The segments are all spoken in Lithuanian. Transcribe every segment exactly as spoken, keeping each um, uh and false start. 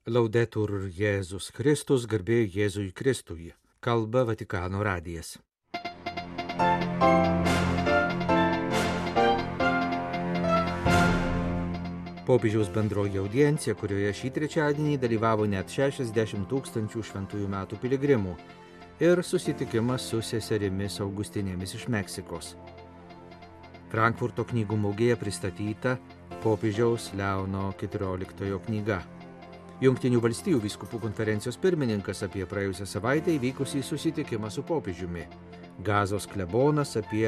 Laudetur Jėzus Kristus, garbė Jėzui Kristui. Kalba Vatikano radijas. Popiežiaus bendroji audiencija, kurioje šį trečiadienį dalyvavo net šešiasdešimt tūkstančių šventųjų metų piligrimų, ir susitikimas su seserimis Augustinėmis iš Meksikos. Frankfurto knygų mugėje pristatyta popiežiaus Leono keturioliktojo knyga. Jungtinių valstijų vyskupų konferencijos pirmininkas apie praėjusią savaitę įvykusį susitikimą su popiežiumi. Gazos klebonas apie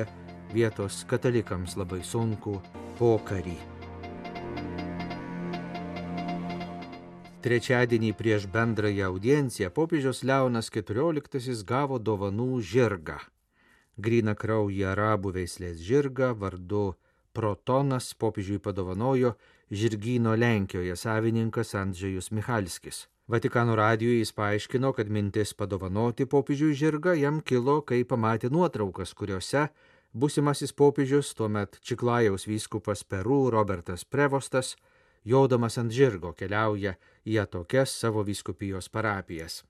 vietos katalikams labai sunkų pokarį. Trečiadienį prieš bendrąją audienciją popiežius Leonas keturioliktasis gavo dovanų žirgą. Gryną kraują arabų veislės žirgą vardu Protonas popiežiui padovanojo žirgyno Lenkijoje savininkas Andžejus Michalskis. Vatikano radijui jis paaiškino, kad mintis padovanoti popiežiui žirgą jam kilo, kai pamatė nuotraukas, kuriuose būsimasis popiežius, tuomet Čiklajaus vyskupas Peru Robertas Prevostas, jodamas ant žirgo keliauja į atokias savo vyskupijos parapijas.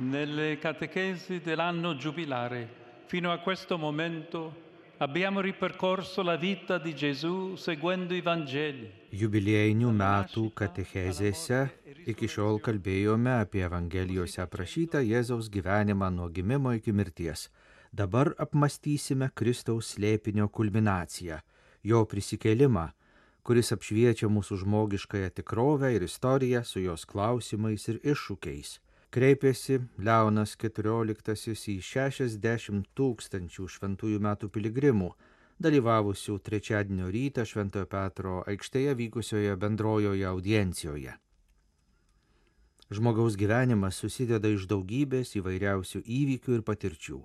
Nelle catechesi dell'anno giubilare, fino a questo momento, abbiamo ripercorso la vita di Gesù seguendo i Vangeli. Jubiliejinių metų katechezėse iki šiol kalbėjome apie Evangelijose aprašytą Jėzaus gyvenimą nuo gimimo iki mirties. Dabar apmąstysime Kristaus slėpinio kulminaciją, jo prisikėlimą, kuris apšviečia mūsų žmogiškąją tikrovę ir istoriją su jos klausimais ir iššūkiais. Kreipėsi Leonas keturioliktasis į šešiasdešimt tūkstančių šventųjų metų piligrimų, dalyvavusių trečiadienio rytą Šventojo Petro aikštėje vykusioje bendrojoje audiencijoje. Žmogaus gyvenimas susideda iš daugybės įvairiausių įvykių ir patirčių.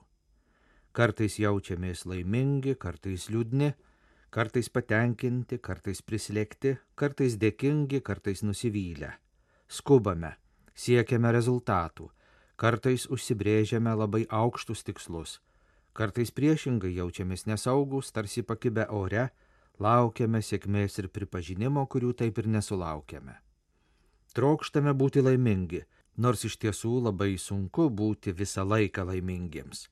Kartais jaučiamės laimingi, kartais liūdni, kartais patenkinti, kartais prislėgti, kartais dėkingi, kartais nusivylę. Skubame. Siekiame rezultatų, kartais užsibrėžiame labai aukštus tikslus, kartais priešingai jaučiamės nesaugus, tarsi pakibę ore, laukiame sėkmės ir pripažinimo, kurių taip ir nesulaukiame. Trokštame būti laimingi, nors iš tiesų labai sunku būti visą laiką laimingiems.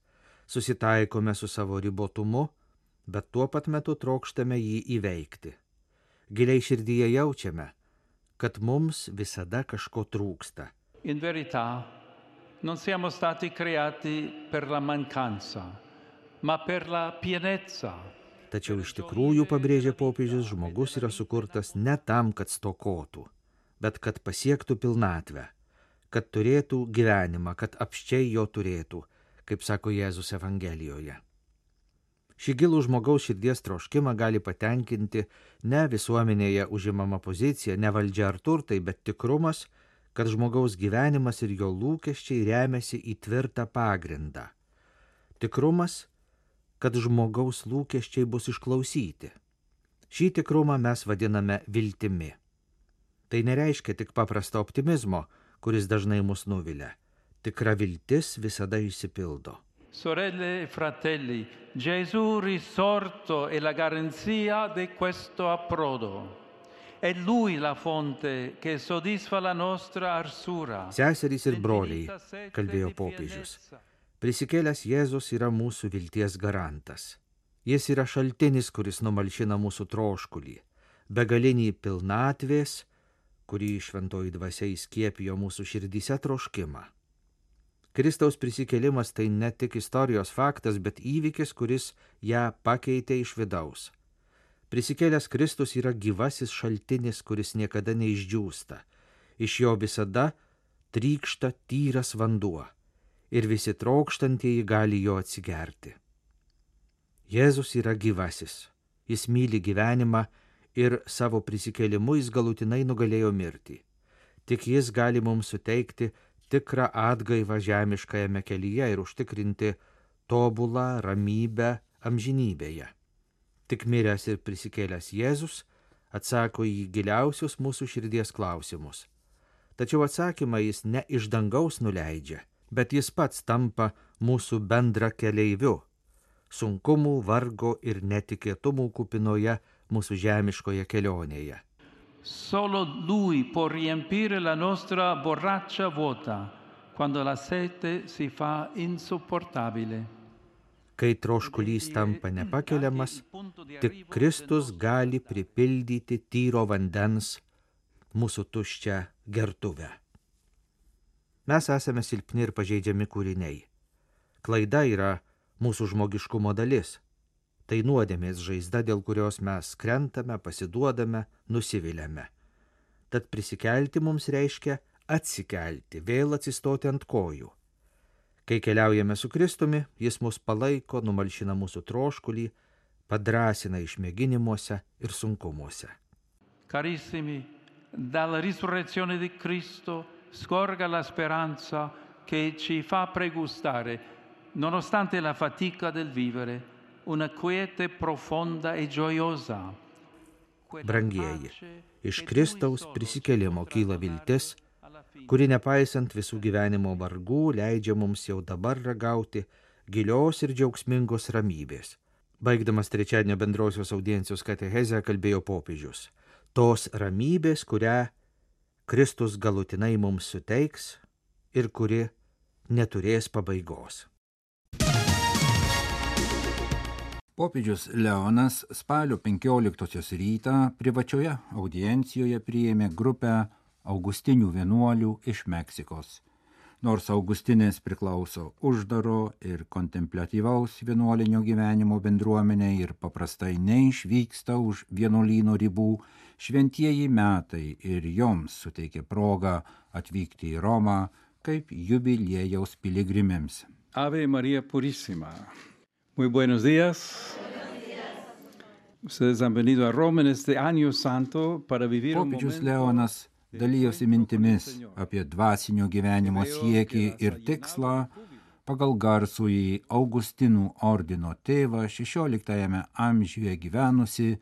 Susitaikome su savo ribotumu, bet tuo pat metu trokštame jį įveikti. Giliai širdyje jaučiame, kad mums visada kažko trūksta. In verità, non siamo stati creati per la mancanza, ma per la pienezza. Tačiau iš tikrųjų, pabrėžia popiežius, žmogus yra sukurtas ne tam, kad stokotų, bet kad pasiektų pilnatvę, kad turėtų gyvenimą, kad apsčiai jo turėtų, kaip sako Jėzus Evangelijoje. Šį gilų žmogaus širdies troškimą gali patenkinti ne visuomenėje užimama pozicija, ne valdžia ar turtai, bet tikrumas, kad žmogaus gyvenimas ir jo lūkesčiai remiasi į tvirtą pagrindą. Tikrumas, kad žmogaus lūkesčiai bus išklausyti. Šį tikrumą mes vadiname viltimi. Tai nereiškia tik paprasto optimizmo, kuris dažnai mus nuvilia. Tikra viltis visada išsipildo. Sorelle e fratelli, Gesù risorto è la garanzia di questo approdo. È Lui la fonte che soddisfa la nostra arsura. Seserys ir broliai, kalbėjo popiežius, prisikėlęs Jėzus yra mūsų vilties garantas. Jis yra šaltinis, kuris numalšina mūsų troškulį, begalinį pilnatvės, kurį šventoji dvasia įskiepijo mūsų širdyse troškimą. Kristaus prisikėlimas tai ne tik istorijos faktas, bet įvykis, kuris ją pakeitė iš vidaus. Prisikėlęs Kristus yra gyvasis šaltinis, kuris niekada neišdžiūsta. Iš jo visada trykšta tyras vanduo ir visi trokštantieji gali jo atsigerti. Jėzus yra gyvasis. Jis myli gyvenimą ir savo prisikėlimu jis galutinai nugalėjo mirtį. Tik jis gali mums suteikti tikrą atgaivą žemiškajame kelyje ir užtikrinti tobulą ramybę amžinybėje. Tik miręs ir prisikėlęs Jėzus atsako į giliausius mūsų širdies klausimus. Tačiau atsakymą jis ne iš dangaus nuleidžia, bet jis pats tampa mūsų bendra keleiviu, sunkumų, vargo ir netikėtumų kupinoje mūsų žemiškoje kelionėje. Solo Lui può riempire la nostra borraccia vuota quando la sete si fa insopportabile. Kai troškulys tampa nepakeliamas, tik Kristus gali pripildyti tyro vandens mūsų tuščią gertuvę. Mes esame silpni ir pažeidžiami kūriniai. Klaida yra mūsų žmogiškumo dalis. Tai nuodėmės žaizda, dėl kurios mes krentame, pasiduodame, nusiviliame. Tad prisikelti mums reiškia atsikelti, vėl atsistoti ant kojų. Kai keliaujame su Kristumi, jis mus palaiko, numalšina mūsų troškulį, padrasina išmėginimuose ir sunkumuose. Carissimi, dalla risurrezione di Cristo scorga la speranza che ci fa pregustare, nonostante la fatica del vivere, una quiete profonda e gioiosa. Brangieji, iš Kristaus prisikėlimo kyla viltis, kuri nepaisant visų gyvenimo vargų leidžia mums jau dabar ragauti gilios ir džiaugsmingos ramybės. Baigdamas trečiadienio bendrosios audiencijos katechezę kalbėjo popiežius. Tos ramybės, kurią Kristus galutinai mums suteiks ir kuri neturės pabaigos. Popiežius Leonas spalio penkioliktosios rytą privačioje audiencijoje priėmė grupę augustinių vienuolių iš Meksikos. Nors Augustinės priklauso uždaro ir kontempliatyvaus vienuolinio gyvenimo bendruomenė ir paprastai neišvyksta už vienuolyno ribų, šventieji metai ir joms suteikė progą atvykti į Romą kaip jubiliejaus piligrimėms. Ave María Purísima. Muy buenos días. Buenos días. Ustedes han venido a Roma en este año santo para vivir un momento. Popiežius Leonas dalijosi mintimis apie dvasinio gyvenimo siekį ir tikslą pagal garsųjį Augustinų ordino tėvą šešioliktajame amžiuje gyvenusi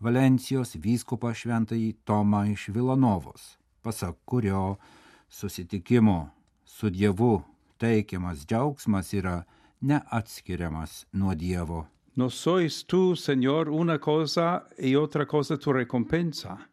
Valencijos vyskupą šventąjį Tomą iš Vilanovos, pasak kurio susitikimo su Dievu teikiamas džiaugsmas yra neatskiriamas nuo Dievo. No sois tú, Señor, una cosa y otra cosa tu recompensa,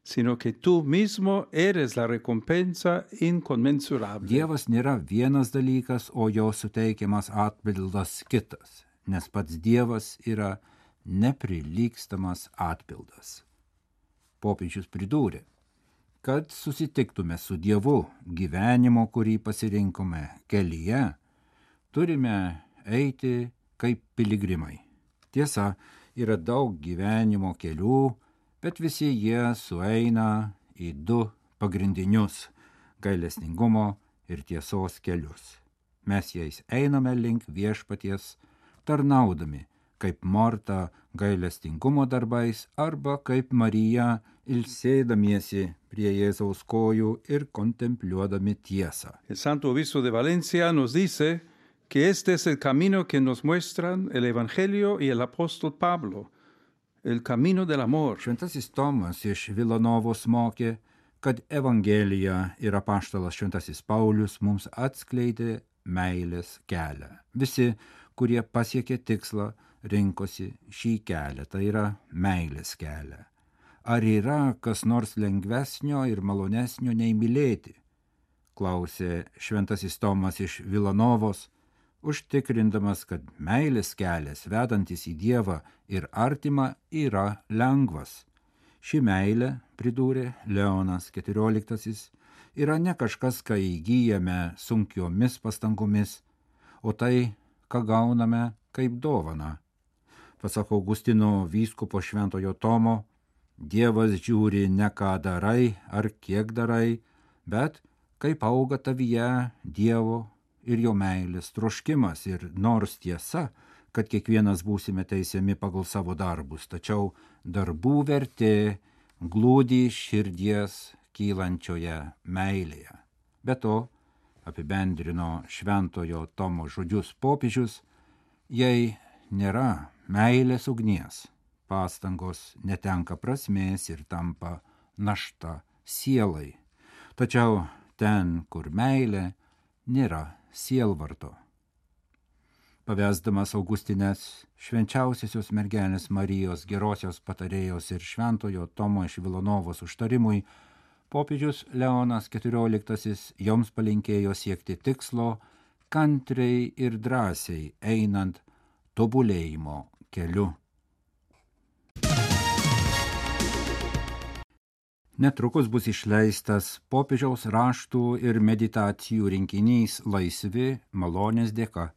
sino que tú mismo eres la recompensa inconmensurable. Dievas nėra vienas dalykas, o jo suteikiamas atpildas kitas, nes pats Dievas yra neprilygstamas atpildas. Popiežius pridūrė, kad susitiktume su Dievu gyvenimo, kurį pasirinkome kelyje, turime eiti kaip piligrimai. Tiesa, yra daug gyvenimo kelių, bet visi jie sueina į du pagrindinius – gailestingumo ir tiesos kelius. Mes jais einame link viešpaties, tarnaudami, kaip Morta gailestingumo darbais arba kaip Marija ilsėdamiesi prie Jėzaus kojų ir kontempliuodami tiesą. El Santo Obispo de Valencia nos dice que este es el camino que nos muestran el Evangelio y el apóstol Pablo, el camino del amor. Šventasis Tomas iš Vilanovos mokė, kad Evangelija ir apaštalas Šventasis Paulius mums atskleidė meilės kelią. Visi, kurie pasiekė tikslą, rinkosi šį kelią, tai yra meilės kelią. Ar yra kas nors lengvesnio ir malonesnio nei mylėti? Klausė Šventasis Tomas iš Vilanovos, užtikrindamas, kad meilės kelias vedantis į Dievą ir artimą yra lengvas. Ši meilė, pridūrė Leonas keturioliktasis, yra ne kažkas, ką įgyjame sunkiomis pastangomis, o tai, ką gauname kaip dovana. Pasak Augustino vyskupo šventojo Tomo, Dievas žiūri ne ką darai ar kiek darai, bet kaip auga tavyje Dievo ir jo meilės troškimas, ir nors tiesa, kad kiekvienas būsime teisiami pagal savo darbus, tačiau darbų vertė glūdi širdies kylančioje meilėje. Be to, apibendrino šventojo Tomo žodžius popiežius, jei nėra meilės ugnies, pastangos netenka prasmės ir tampa našta sielai. Tačiau ten, kur meilė, nėra sielvarto. pavesdamas Augustines švenčiausiosios mergelės Marijos gerosios patarėjos ir šventojo Tomo iš Vilanovos užtarimui, popiežius Leonas keturioliktasis joms palinkėjo siekti tikslo, kantriai ir drąsiai einant tobulėjimo keliu. Netrukus bus išleistas popiežiaus raštų ir meditacijų rinkinys Laisvi malonės dėka.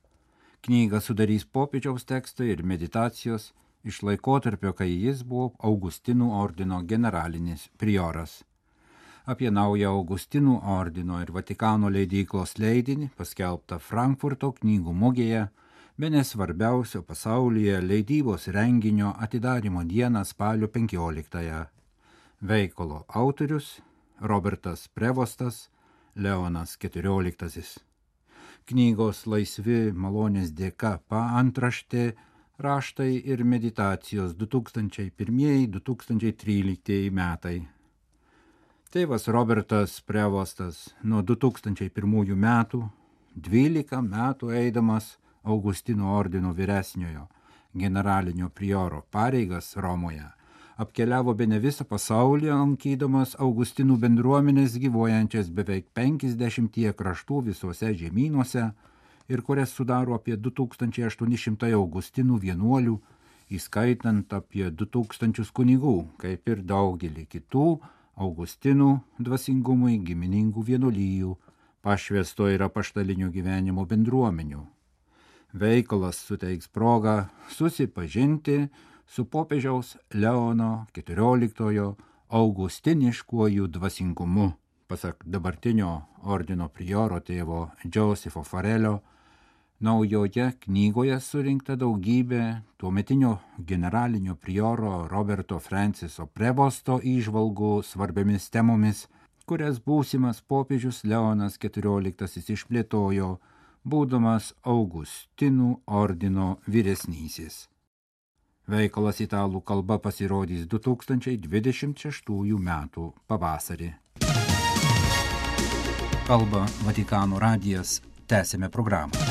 Knygą sudarys popiežiaus tekstai ir meditacijos iš laikotarpio, kai jis buvo Augustinų ordino generalinis prioras. Apie naują Augustinų ordino ir Vatikano leidyklos leidinį, paskelbtą Frankfurto knygų mugėje, bene svarbiausio pasaulyje leidybos renginio atidarymo dieną spalio penkioliktąją. Veikalo autorius Robertas Prevostas, Leonas keturioliktasis. Knygos Laisvi malonės dėka paantraštė raštai ir meditacijos du tūkstančiai pirmieji - du tūkstančiai tryliktieji metai. Tėvas Robertas Prevostas nuo du tūkstančiai pirmųjų metų, dvylika metų eidamas Augustinų ordino vyresniojo generalinio prioro pareigas Romoje, apkeliavo bene visą pasaulį, lankydamas Augustinų bendruomenės gyvuojančias beveik penkiasdešimtyje kraštų visuose žemynuose ir kurias sudaro apie du tūkstančiai aštuoni šimtai Augustinų vienuolių, įskaitant apie du tūkstančius kunigų, kaip ir daugelį kitų Augustinų dvasingumui giminingų vienuolijų, pašvęsto ir apaštalinio gyvenimo bendruomenių. Veikalas suteiks progą susipažinti su popiežiaus Leono keturioliktojo augustiniškuoju dvasingumu. Pasak dabartinio ordino prioro tėvo Josepho Farelio, naujoje knygoje surinkta daugybė tuometinio generalinio prioro Roberto Franciso Prevosto įžvalgų svarbiamis temomis, kurias būsimas popiežius Leonas keturioliktasis išplėtojo, būdamas Augustinų ordino vyresnysis. Veikalas italų kalba pasirodys du tūkstančiai dvidešimt šeštųjų metų pavasarį. Kalba Vatikano radijas, tęsėme programą.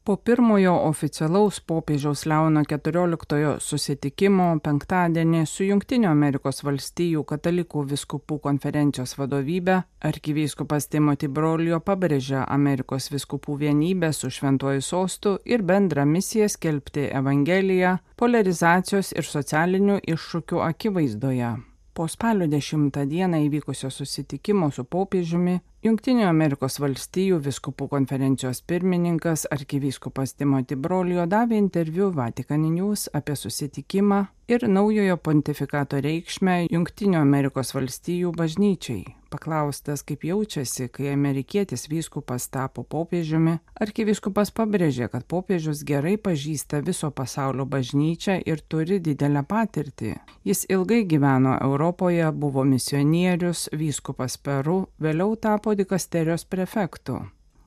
Po pirmojo oficialaus popiežiaus Leono keturioliktojo susitikimo penktadienį su Jungtinių Amerikos valstijų katalikų vyskupų konferencijos vadovybe arkivyskupas Timothy Broglio pabrėžė Amerikos vyskupų vienybę su Šventuoju sostu ir bendrą misiją skelbti Evangeliją polarizacijos ir socialinių iššūkių akivaizdoje. Po spalio dešimtą dieną įvykusio susitikimo su popiežiumi Jungtinių Amerikos valstijų vyskupų konferencijos pirmininkas arkivyskupas Timothy Broglio davė interviu Vatican News apie susitikimą ir naujojo pontifikato reikšmę Jungtinių Amerikos valstijų bažnyčiai. Paklaustas, kaip jaučiasi, kai amerikietis vyskupas tapo popiežiumi, arkivyskupas pabrėžė, kad popiežius gerai pažįsta viso pasaulio bažnyčią ir turi didelę patirtį. Jis ilgai gyveno Europoje, buvo misionierius, vyskupas Peru, vėliau tapo dikasterijos prefektu.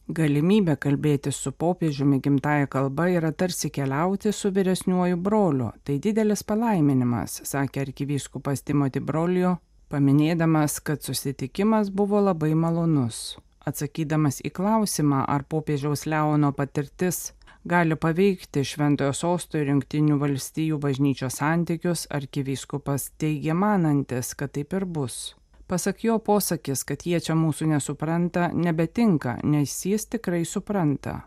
Galimybė kalbėti su popiežiumi gimtąja kalba yra tarsi keliauti su vyresniuoju broliu. Tai didelis palaiminimas, sakė arkivyskupas Timothy Broglio, paminėdamas, kad susitikimas buvo labai malonus. Atsakydamas į klausimą, ar popiežiaus Leono patirtis gali paveikti Šventojo sosto ir Jungtinių valstijų bažnyčios santykius, arkivyskupas teigė manantis, kad taip ir bus. Pasak jo, posakis, kad jie čia mūsų nesupranta, nebetinka, nes jis tikrai supranta.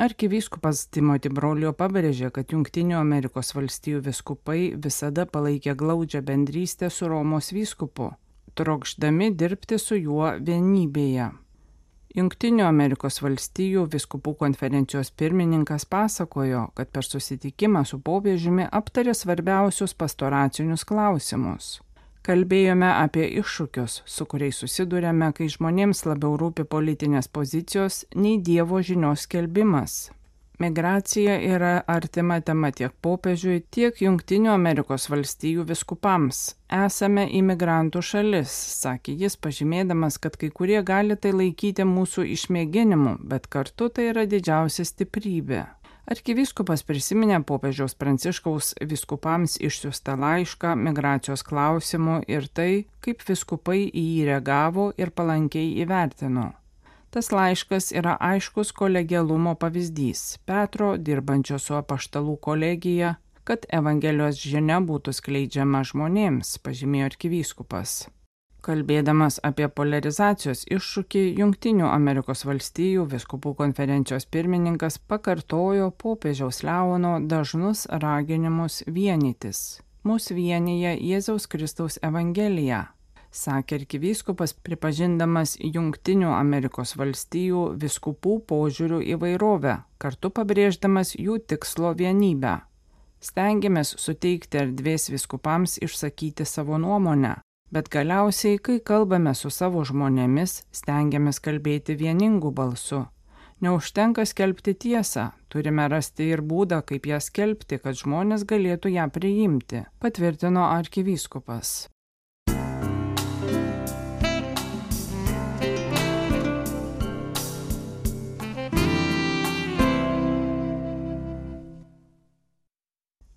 Arkivyskupas Timothy Broglio pabrėžė, kad Jungtinių Amerikos valstijų vyskupai visada palaikė glaudžią bendrystę su Romos vyskupu, trokšdami dirbti su juo vienybėje. Jungtinių Amerikos valstijų vyskupų konferencijos pirmininkas pasakojo, kad per susitikimą su popiežiumi aptarė svarbiausius pastoracinius klausimus. Kalbėjome apie iššūkius, su kuriais susidurėme, kai žmonėms labiau rūpi politinės pozicijos nei Dievo žinios skelbimas. Migracija yra artima tema tiek popiežiui, tiek Jungtinių Amerikos valstijų vyskupams. Esame imigrantų šalis, sakė jis, pažymėdamas, kad kai kurie gali tai laikyti mūsų išmėginimu, bet kartu tai yra didžiausia stiprybė. Arkivyskupas prisiminė popiežiaus Pranciškaus vyskupams išsiųstą laišką migracijos klausimu ir tai, kaip vyskupai į jį reagavo ir palankiai įvertino. Tas laiškas yra aiškus kolegialumo pavyzdys Petro, dirbančio su apaštalų kolegija, kad Evangelijos žinia būtų skleidžiama žmonėms, pažymėjo arkivyskupas. Kalbėdamas apie polarizacijos iššūkį, Jungtinių Amerikos valstijų vyskupų konferencijos pirmininkas pakartojo popiežiaus Leono dažnus raginimus vienytis. Mus vienyje Jėzaus Kristaus Evangelija, sakė arkivyskupas, pripažindamas Jungtinių Amerikos valstijų vyskupų požiūrių įvairovę, kartu pabrėždamas jų tikslo vienybę. Stengiamės suteikti erdvės vyskupams išsakyti savo nuomonę, bet galiausiai, kai kalbame su savo žmonėmis, stengiamės kalbėti vieningu balsu. Neužtenka skelbti tiesą, turime rasti ir būdą, kaip ją skelbti, kad žmonės galėtų ją priimti, patvirtino arkivyskupas.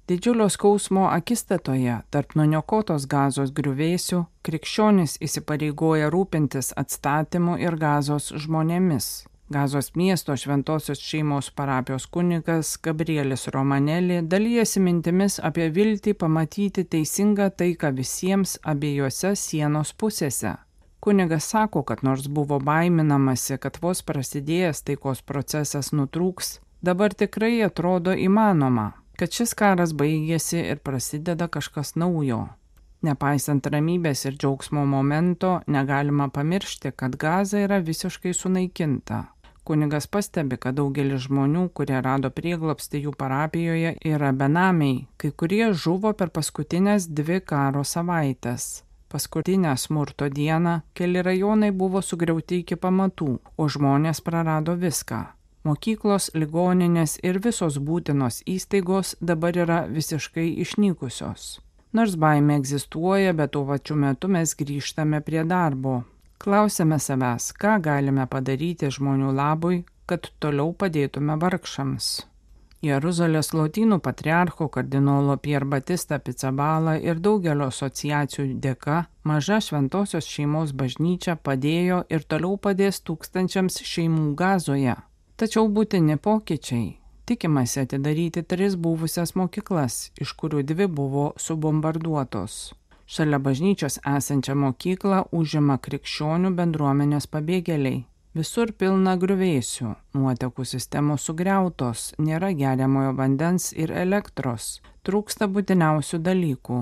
Didžiulio skausmo akistatoje tarp nuniokotos Gazos griuvėsių krikščionys įsipareigoja rūpintis atstatymu ir Gazos žmonėmis. Gazos miesto šventosios šeimos parapijos kunigas Gabrielis Romanelli dalijasi mintimis apie viltį pamatyti teisingą taiką visiems abiejose sienos pusėse. Kunigas sako, kad nors buvo baiminamasi, kad vos prasidėjęs taikos procesas nutrūks, dabar tikrai atrodo įmanoma, kad šis karas baigėsi ir prasideda kažkas naujo. Nepaisant ramybės ir džiaugsmo momento, negalima pamiršti, kad Gaza yra visiškai sunaikinta. Kunigas pastebi, kad daugelis žmonių, kurie rado prieglobstį jų parapijoje, yra benamiai, kai kurie žuvo per paskutinės dvi karo savaitės. Paskutinę smurto dieną keli rajonai buvo sugriauti iki pamatų, o žmonės prarado viską. Mokyklos, ligoninės ir visos būtinos įstaigos dabar yra visiškai išnykusios. Nors baimė egzistuoja, bet tuo pačiu metu mes grįžtame prie darbo. Klausiame savęs, ką galime padaryti žmonių labui, kad toliau padėtume vargšams. Jeruzalės lotynų patriarcho kardinolo Pier Batista Pizzaballa ir daugelio asociacijų dėka maža šventosios šeimos bažnyčia padėjo ir toliau padės tūkstančiams šeimų Gazoje. Tačiau būtini pokyčiai. Tikimasi atidaryti tris buvusias mokyklas, iš kurių dvi buvo subombarduotos. Šalia bažnyčios esančią mokyklą užima krikščionių bendruomenės pabėgėliai. Visur pilna griuvėsių, nuotekų sistemos sugriautos, nėra geriamojo vandens ir elektros, trūksta būtiniausių dalykų.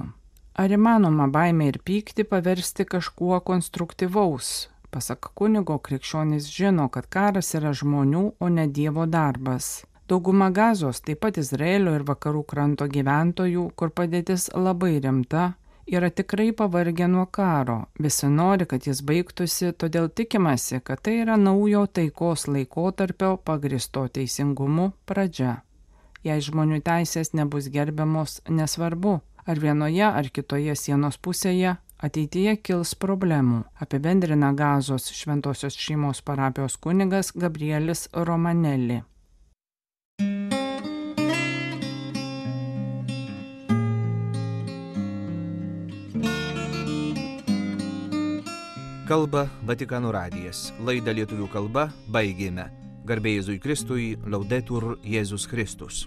Ar įmanoma baimę ir pyktį paversti kažkuo konstruktyvaus? Pasak kunigo, krikščionys žino, kad karas yra žmonių, o ne Dievo darbas. Dauguma Gazos, taip pat Izraelio ir vakarų kranto gyventojų, kur padėtis labai rimta, yra tikrai pavargę nuo karo. Visi nori, kad jis baigtųsi, todėl tikimasi, kad tai yra naujo taikos laikotarpio pagristo teisingumu pradžia. Jei žmonių teisės nebus gerbiamos, nesvarbu, ar vienoje ar kitoje sienos pusėje, ateityje kils problemų, apibendrina Gazos šventosios šeimos parapijos kunigas Gabrielis Romanelli. Kalba Vatikano radijas. Laidą lietuvių kalba baigėme. Garbė Jėzui Kristui, Laudetur Jėzus Kristus.